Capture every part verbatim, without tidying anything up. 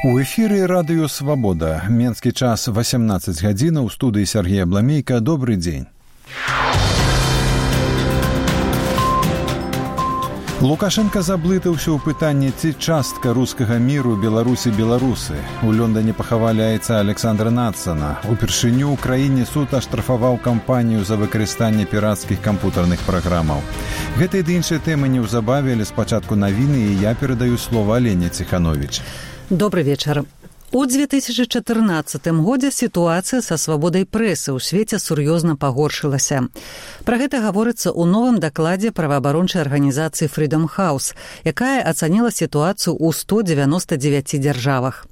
У эфіры радыё «Свабода». Менскі час восемнадцать гадзін, у студыі Сергей Абламейка. Добрый дзень. Лукашенко заблытаўся ў пытанні, ці частка рускага міру беларусі-беларусы. У Лондоне пахавалі айца Александра Надсона. Упершыню ў краіне суд аштрафаваў кампанію за выкарыстанне пірацкіх кампутарных праграмаў. Гэта і іншыя тэмы неўзабаве, але спачатку навіны, і я перадаю слова Алене Ціхановіч. Добрый вечар. У две тысячи чатырнаццатым годзе сітуацыя са свабодай прэсы ў свеце сур'ёзна пагоршылася. Пра гэта гаворыцца ў новым дакладзе праваабарончай арганізацыі Freedom House, якая ацаніла сітуацыю ў сто дзевяноста дзевяці дзяржавах.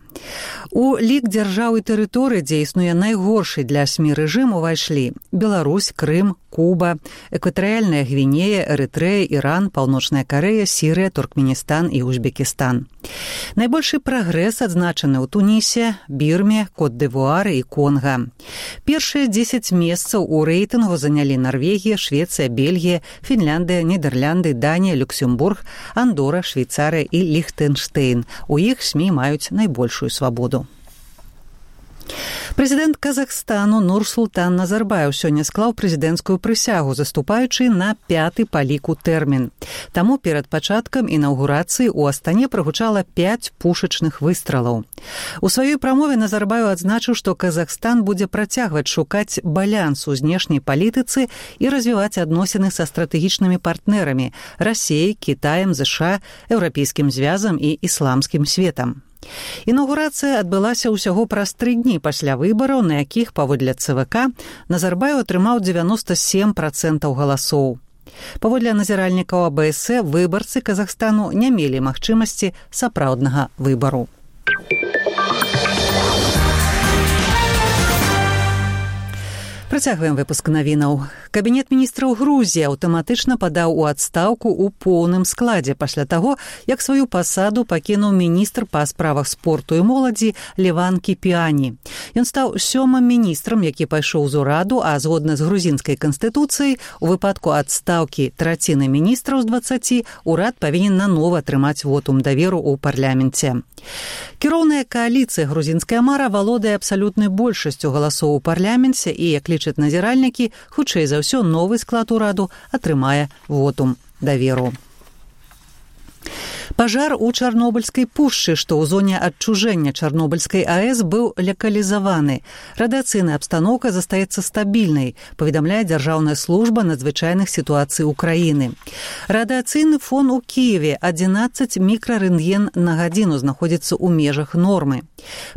У лік дзяржаў і тэрыторый, дзе існуе найгоршы для СМІ рэжым, увайшлі Беларусь, Крым, Куба, Экватарыяльная Гвінея, Эрытрэя, Іран, Паўночная Карэя, Сірыя, Туркменістан і Узбекістан. Найбольшы прагрэс адзначаны ў Тунісе, Бірме, Кот-д'Івуары і Конга. Першыя дзесяць месцаў у рэйтынгу занялі Нарвегія, Швецыя, Бельгія, Фінляндыя, Нідерлянды, Данія, Люксембург, Андора, Швейцарыя і Ліхтэнштэйн. У іх СМІ маюць найбольшую свабоду. Прэзідэнт Казахстану Нурсултан Назарбаев сёння склаў прэзідэнцкую прысягу, заступаючы на пяты па ліку тэрмін. Таму перад пачаткам інаўгурацыі ў Астане прагучала пяць пушачных выстралаў. У сваёй прамове Назарбаев адзначыў, што Казахстан будзе працягваць шукаць баланс у знешняй палітыцы і развіваць адносіны са стратэгічнымі партнерамі – Расіяй, Кітаем, ЗША, Еўрапейскім звязам і ісламскім светам. Інаўгурацыя адбылася ўсяго праз тры дні пасля выбараў, на якіх, паводле ЦВК, Назарбаев атрымаў дзевяноста сем працэнтаў галасоў. Паводле назіральнікаў АБС, выбарцы Казахстану не мелі магчымасці сапраўднага выбару. Працягваем выпуск навінаў. Кабінет міністраў Грузіі аўтаматычна падаў у адстаўку ў поўным складзе пасля таго, як сваю пасаду пакінуў міністр па справах спорту і моладзі Леван Кіпіані. Ён стаў сёмым міністрам, які пайшоў з ураду, а згодна з грузінскай канстытуцыяй, у выпадку адстаўкі траціны міністраў з дваццаці, урад павінен нанова атрымаць вотум даверу ў парламенце. Кіроўная кааліцыя грузінская мара валодае абсалютнай большасцю галасоў у парламенце і, як лічаць назіральнікі, хутчэй за ўсё новы склад ураду атрымае вотум даверу. Пажар у Чарнобыльскай пушчы, што ў зоне адчужэння Чарнобыльскай АЭС, быў лакалізаваны. Радыяцыйная абстаноўка застаецца стабільнай, паведамляе Дзяржаўная служба надзвычайных сітуацый Украіны. Радыяцыйны фон у Кіеве адзінаццаць мікрарэнтген на гадзіну знаходзіцца ў межах нормы.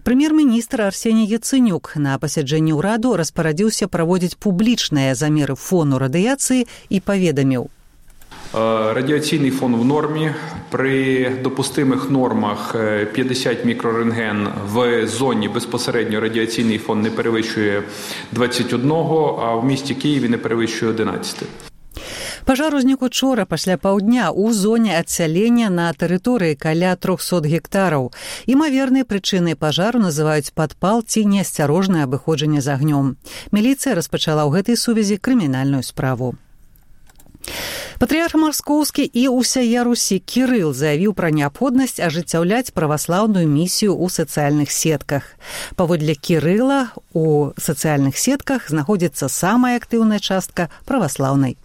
Прэм'ер-міністр Арсеній Яцэнюк на пасяджэнні ўраду распарадзіўся праводзіць публічныя замеры фону радыяцыі і паведаміў: радіаційний фон в нормі. При допустимих нормах п'ятдесят мікрорентген в зоні безпосередньо радіаційний фон не перевищує двадцять один, а в місті Києві не перевищує одинадцять. Пажар узнік учора пасля паўдня ў зоне адсялення на тэрыторыі каля трохсот гектараў. Імавернай прычынай пажару называюць падпал ці неасцярожнае абыходжанне з агнём. Міліцыя распачала ў гэтай сувязі крымінальную справу. Патрыярх Маскоўскі і ўсяя Русі Кірыл заявіў пра неабходнасць ажыццяўляць праваслаўную місію ў сацыяльных сетках. Паводле Кірыла, у сацыяльных сетках знаходзіцца самая актыўная частка праваслаўнай